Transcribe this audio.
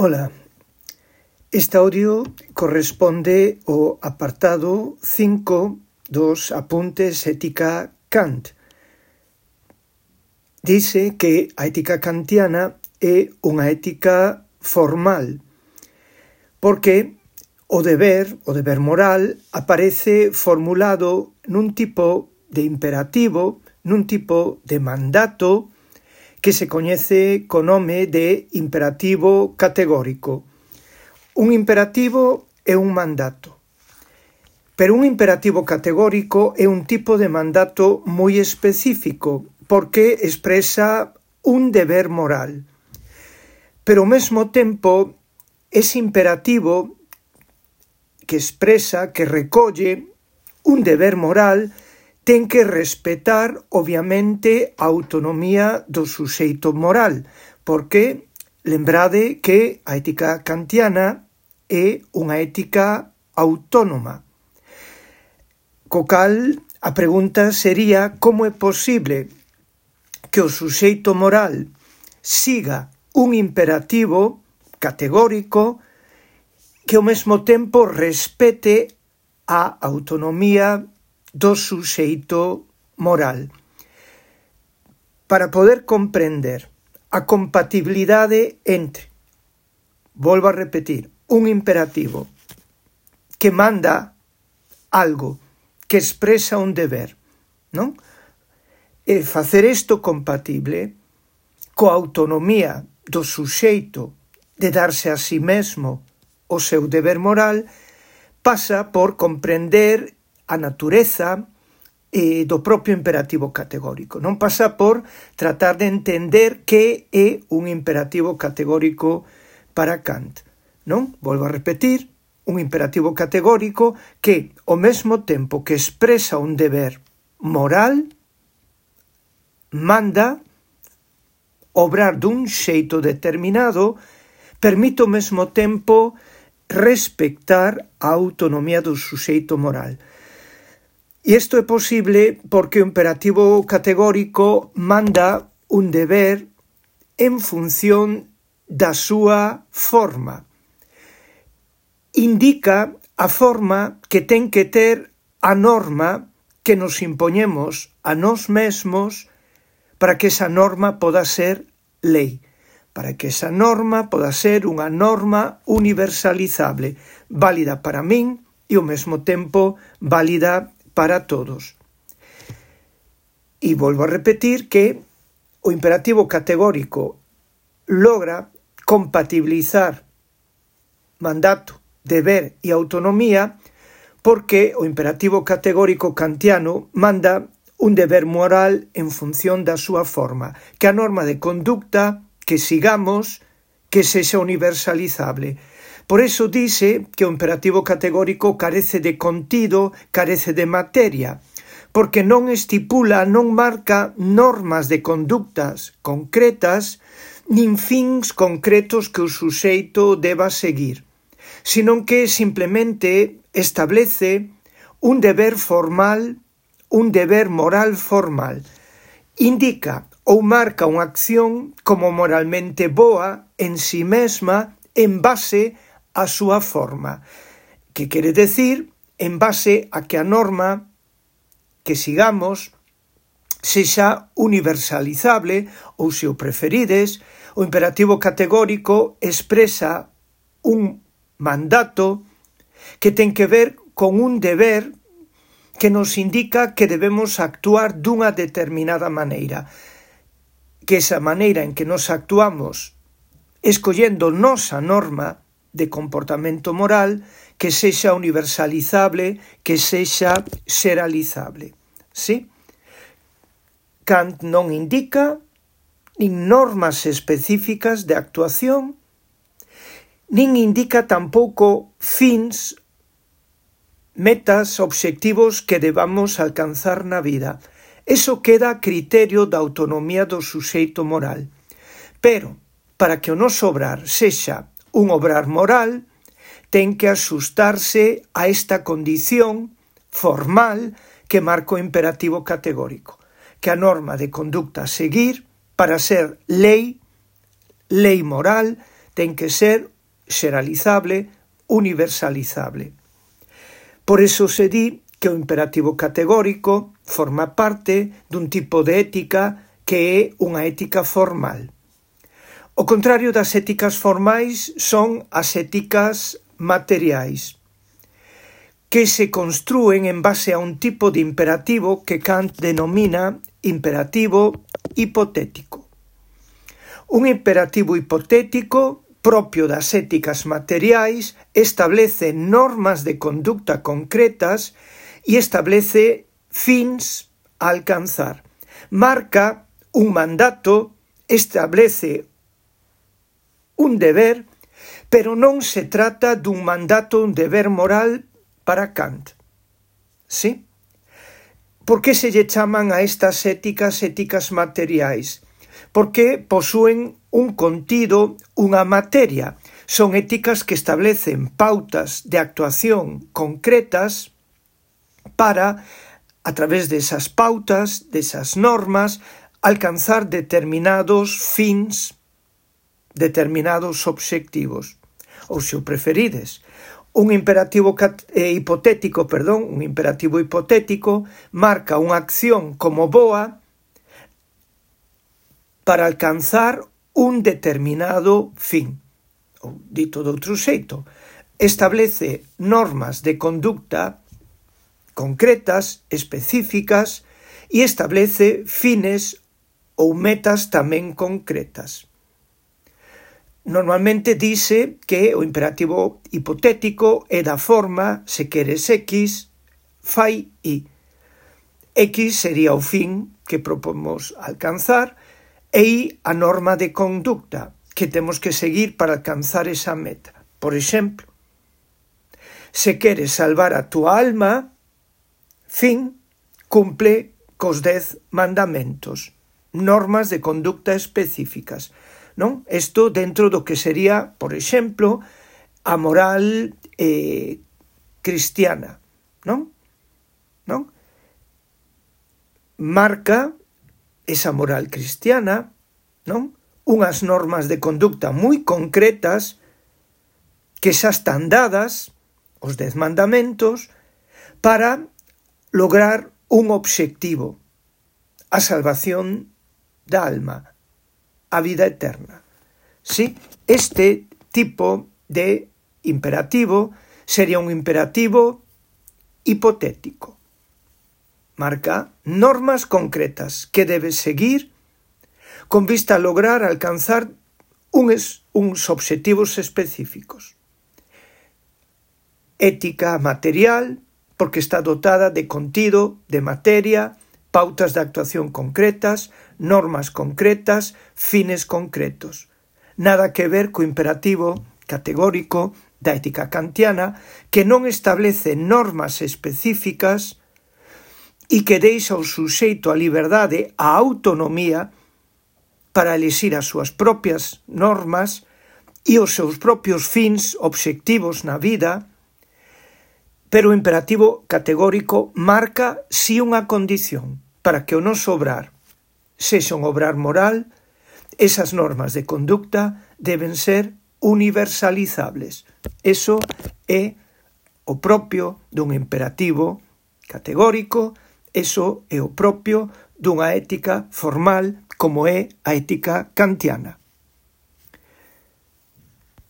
Ola, este audio corresponde ao apartado 5 dos apuntes ética Kant. Dice que a ética kantiana é unha ética formal, porque o deber moral, aparece formulado nun tipo de imperativo, nun tipo de mandato, que se coñece co nome de imperativo categórico. Un imperativo é un mandato, pero un imperativo categórico é un tipo de mandato moi específico, porque expresa un deber moral. Pero ao mesmo tempo, ese imperativo que expresa, que recolle un deber moral, ten que respetar, obviamente, a autonomía do suxeito moral, porque lembrade que a ética kantiana é unha ética autónoma. Co cal, a pregunta sería como é posible que o suxeito moral siga un imperativo categórico que ao mesmo tempo respete a autonomía do suxeito moral. Para poder comprender a compatibilidade entre, volvo a repetir, un imperativo que manda algo, que expresa un deber, non? E facer isto compatible coa autonomía do suxeito de darse a si mesmo o seu deber moral pasa por comprender a natureza do propio imperativo categórico. Non pasa por tratar de entender que é un imperativo categórico para Kant. Non? Volvo a repetir, un imperativo categórico que, ao mesmo tempo que expresa un deber moral, manda obrar dun xeito determinado, permite ao mesmo tempo respectar a autonomía do suxeito moral. E isto é posible porque o imperativo categórico manda un deber en función da súa forma. Indica a forma que ten que ter a norma que nos impoñemos a nós mesmos para que esa norma poda ser lei, para que esa norma poda ser unha norma universalizable, válida para min e ao mesmo tempo válida para todos. E volvo a repetir que o imperativo categórico logra compatibilizar mandato, deber e autonomía porque o imperativo categórico kantiano manda un deber moral en función da súa forma, que a norma de conducta que sigamos que sexa universalizable. Por iso dice que o imperativo categórico carece de contido, carece de materia, porque non estipula, non marca normas de conductas concretas, nin fins concretos que o suxeito deba seguir, senón que simplemente establece un deber formal, un deber moral formal. Indica ou marca unha acción como moralmente boa en si mesma en base a súa forma, que quere decir en base a que a norma que sigamos sexa universalizable ou, se o preferides, o imperativo categórico expresa un mandato que ten que ver con un deber que nos indica que debemos actuar dunha determinada maneira, que esa maneira en que nos actuamos escollendo nosa norma de comportamento moral que sexa universalizable, que sexa xeralizable. ¿Sí? Kant non indica nin normas específicas de actuación, nin indica tampouco fins, metas, obxectivos que debamos alcanzar na vida. Eso queda a criterio da autonomía do suxeito moral. Pero, para que o noso obrar sexa un obrar moral, ten que axustarse a esta condición formal que marca o imperativo categórico, que a norma de conducta a seguir para ser lei moral, ten que ser xeralizable, universalizable. Por eso se di que o imperativo categórico forma parte dun tipo de ética que é unha ética formal. O contrario das éticas formais son as éticas materiais, que se construen en base a un tipo de imperativo que Kant denomina imperativo hipotético. Un imperativo hipotético propio das éticas materiais establece normas de conducta concretas e establece fins a alcanzar. Marca un mandato, establece un deber, pero non se trata dun mandato, un deber moral para Kant. ¿Sí? Por que se lle chaman a estas éticas materiais? Porque posúen un contido, unha materia. Son éticas que establecen pautas de actuación concretas para, a través desas pautas, desas normas, alcanzar determinados fins, determinados obxectivos. Ou, se o preferides, un imperativo hipotético marca unha acción como boa para alcanzar un determinado fin. Ou, dito de outro xeito, establece normas de conducta concretas, específicas, e establece fines ou metas tamén concretas. Normalmente dice que o imperativo hipotético é da forma, se queres X, fai Y. X sería o fin que propomos alcanzar e Y a norma de conducta que temos que seguir para alcanzar esa meta. Por exemplo, se queres salvar a túa alma, fin, cumple cos 10 mandamentos, normas de conducta específicas, non? Isto dentro do que sería, por exemplo, a moral cristiana, non? Marca esa moral cristiana, non? Unhas normas de conducta moi concretas que xa están dadas, os 10 mandamentos, para lograr un obxectivo, a salvación da alma, a vida eterna. Sí, este tipo de imperativo sería un imperativo hipotético. Marca normas concretas que debes seguir con vista a lograr alcanzar uns obxectivos específicos. Ética material, porque está dotada de contido, de materia, pautas de actuación concretas, normas concretas, fines concretos. Nada que ver co imperativo categórico da ética kantiana, que non establece normas específicas e que deixa ao suxeito a liberdade, a autonomía, para elixir as súas propias normas e os seus propios fins, obxectivos na vida. Pero o imperativo categórico marca si unha condición para que o noso obrar sexa un obrar moral, esas normas de conducta deben ser universalizables. Eso é o propio dun imperativo categórico, eso é o propio dunha ética formal como é a ética kantiana.